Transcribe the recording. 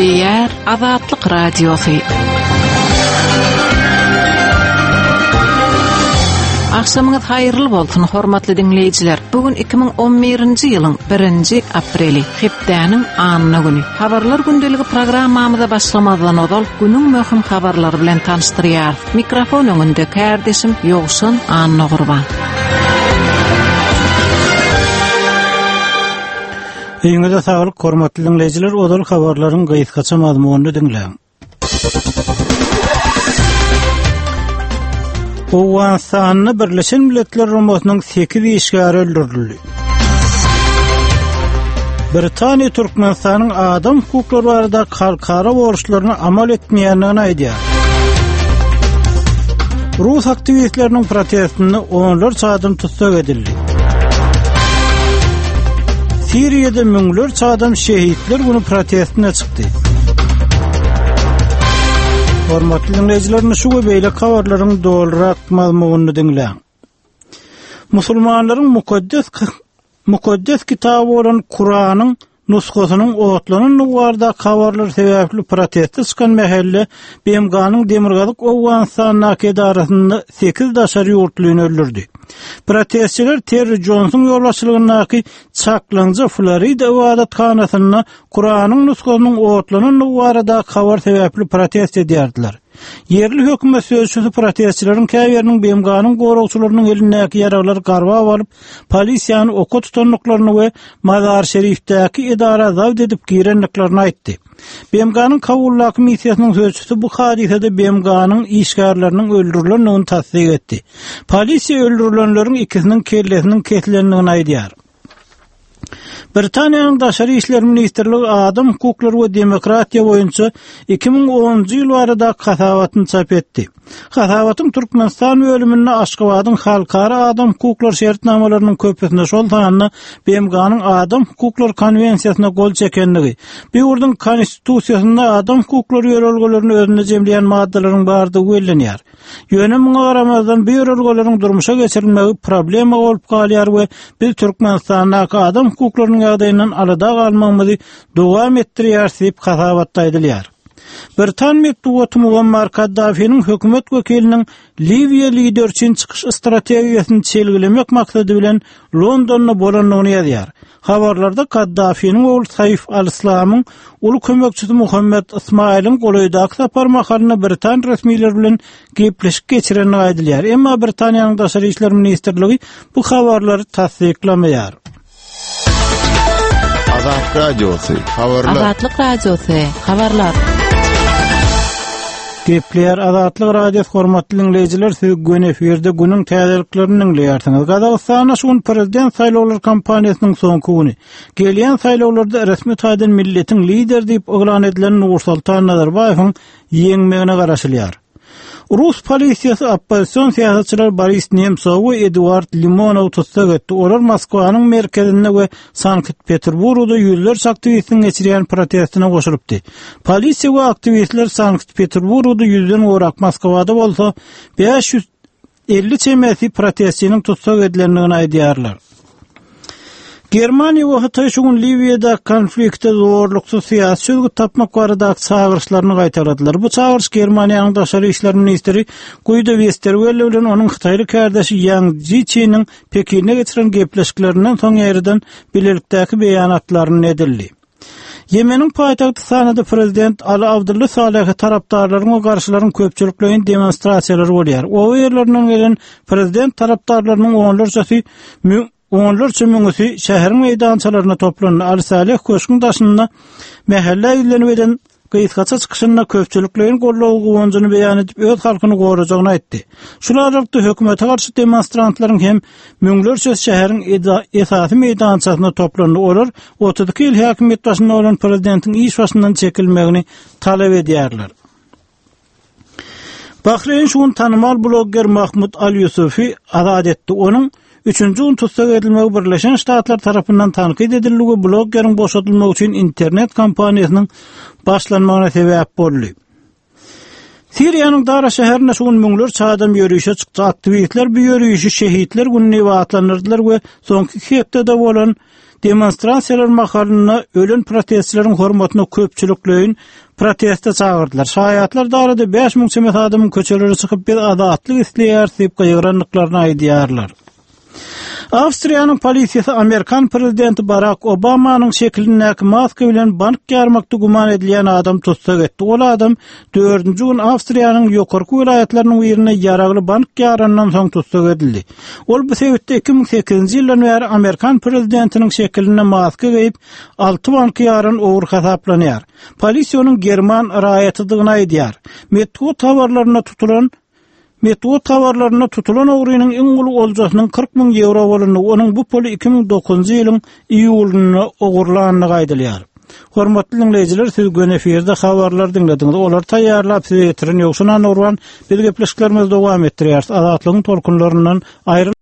Gepleýär Azatlyk Radiosy. Agşamyňyz haýyrly bolsun, hormatly diňleýjiler. Bu gün 2011-nji ýylyň 1-nji apreli, hepdäniň anna güni. Habarlar gündeligi programmamyza başlamazdan ozal günüň möhüm habarlary bilen tanyşdyrýarys. Mikrofon öňünde kärdeşim Ýowşan Annagurban. Öýüňize saglyk, hormatly diňleýjiler, ozal habarlaryň gysgaça mazmunyny diňläň. Owganystanda Birleşen Milletler Guramasynyň 8 işgäri öldürildi. Britaniýa Türkmenistanyň adam hukuklary barada halkara borçlaryny amal etmeýändigini aýdýar. Rus aktiwistleriniň protestinde onlarça adam tussag edildi. Siriýada müňlerçe adam şehitler güni protestine çykdy. Hormatly diňleýjiler, şu we beýleki habarlaryň dolurak mazmunyny diňläň. Musulmanlaryň mukaddes mukaddes kitaby bolan Kuranyň nusgasynyň otlanandygy baradaky habarlar sebäpli proteste çykan mähelle BMG-niň Demirgazyk Owganystandaky edarasynda sekiz daşary ýurtlyny öldürdi. Protestçiler Terri Jonsuň ýolbaşçylygyndaky çaklaňja Florida ybadathanasynda Kuranyň nusgasynyň otlanandygy baradaky habar sebäpli protest edýärdiler. Ýerli hökümet sözçüsi protestçileriň käbiriniň BMG-niň goragçylarynyň elindäki ýaraglary garbap alyp, polisiýany oka tutandyklaryny we Mazar-Şerifdäki edara zabt edip girendiklerini aýtdy. BMG-niň Kabuldaky missiýasynyň sözçüsi bu hadysada BMG-niň işgärleriniň öldürilendigini tassyk etdi. Polisiýa öldürilenleriň ikisiniň kellesiniň kesilendigini aýdýar. Britaniýanyň Daşary işler ministrligi adam hukuklary we demokratiýa boýunça 2010-njy ýyl baradaky hasabatyny çap etdi. Hasabatyň Türkmenistan bölüminde Aşgabadyň halkara adam hukuklary şertnamalarynyň köpüsine, şol sanda BMG-niň Adam hukuklary konwensiýasyna gol çekendigi, bu ýurduň Konstitusiýasynda adam hukuklary ýörelgelerini özünde jemleýän maddalaryň bardygy bellenýär. Ýöne muňa garamazdan bu ýörelgeleriň durmuşa geçirilmegi problema bolup galýar we biz Türkmenistandaky adam hukuklarynyň ýagdaýyndan alada galmagymyzy dowam etdirýäris diýip hasabatda aýdylýar. Britan metbugaty Muammar Kaddafiniň hökümet wekiliniň Liwiýa lideri üçin çykyş strategiýasyny çelgilemek maksady bilen Londonda bolandygyny ýazýar. Habarlarda Kaddafiniň ogly Saif al-Islamyň uly kömekçisi Muhammed Ysmaýylyň golaýdaky sapar mahalynda britan resmileri bilen gepleşik geçirendigi aýdylýar. Emma Britaniýanyň Daşary işler ministrligi bu habarlary tassyklamaýar. Azat Radiosy, habarlar. Azatlyk Radiosy, habarlar. Gepleýär Azatlyk Radiosy hormatly diňleýjiler siz göni efirde günüň täzeliklerini diňleýärsiňiz. Gazagystanda şu gün prezident saýlawlary kampaniýasynyň soňky güni. Gelýän saýlawlarda resmi taýdan milletiň lideri diýip yglan edilen Nursultan Nazarbaýewiň ýeňmegine garaşylýar. Rus polisiýasy oppozision syýasatçylar Boris Nemsowy we Eduard Limonowy tussag etdi. Olar Moskwanyň merkezinde we Sankt-Peterburgda ýüzlerçe aktiwistiň geçirýän protestine goşulypdy. Polisiýa we aktiwistler Sankt-Peterburgda ýüzden gowrak, Moskwada bolsa 550 çemesi protestçiniň tussag edilendigini aýdýarlar. Germaniýa we Hytaý şu gün Liwiýadaky konflikte zorluksyz syýasy çözgüt tapmak baradaky çagyryşlaryny gaýtaladylar. Bu çagyryş Germaniýanyň daşary işler ministri Guido Westerwelle bilen onuň hytaýly kärdeşi Ýang Jiçiniň Pekinde geçiren gepleşiklerinden soň ýaýradan bilelikdäki beýanatlarynda edildi. Ýemeniň paýtagty Sanada prezident Ali Abdullah Salehe tarapdarlaryň we garşylaryň köpçülikleýin demonstrasiýalary bolýar. Oba ýerlerinden gelen prezident tarapdarlarynyň onlarçasy onlarça müňüsi şäheriň meýdançalaryna toplandy. Ali Saleh köşgüň daşynda mähellä ýüzlenip eden Gysgaça çykyşynda köpçülikleýin goldawy guwanjyny beýan edip, öz halkyny gorajagyny aýtdy. Şul aralykda hökümete garşy demonstrantlaryň hem müňlerçesi şäheriň esasy meýdançasynda toplandy. Olar 32 ýyl häkimiýet başynda bolan prezidentiň iş başyndan çekilmegini talap edýärler. Bahreýn şu gün tanymal blogger Mahmud Al-Ýusufy azat etdi. Onuň üçünji gün tussag edilmegi Birleşen Ştatlar tarapyndan tankyt edildi we bloggeriň boşadylmagy üçin internet kampaniýasynyň başlanmagyna sebäp boldy. Siriýanyň Dara şäherinde şu gün müňlerçe adam ýörişe çykdy. Aktiwistler bu ýörişi Şehitler güni diýip atlandyrdylar we soňky iki hepdede bolan demonstrasiýalar mahalynda ölen protestçileriň hormatyna köpçülikleýin proteste çagyrdylar. Şaýatlar Darada 5000 çemesi adamyň köçelere çykyp biz azatlyk isleýäris diýip gygyrandyklaryny aýdýarlar. Awstriýanyň polisiýasy amerikan prezidenti Barak Obamanyň şekilindäki maska bilen bank ýarmakda güman edilýän adamy tussag etdi. Ol adam dördünji gün Awstriýanyň ýokarky welaýatlarynyň birinde ýaragly bank ýarandan soň tussag edildi. Ol bu sebitde 2008-nji ýyldan bäri amerikan prezidentiniň şekilinde maska geýip, alty banky ýaran ogry hasaplanýar. Polisiýa onuň german raýatydygyny aýdýar. Metbugat habarlarynda tutulan Metbugat habarlarynda tutulan ogrynyň iň uly oljasynyň 40 müň ýewro bolandygy, onuň bu puly 2009-njy ýylyň iýulynda ogurlandygy aýdylýar. Hormatly diňleýjiler, siz göni efirde habarlary diňlediňiz. Olary taýýarlap size ýetiren Ýowşan Annagurban. Biz gepleşiklerimizi dowam etdirýäris. Azatlygyň tolkunlaryndan aýryl.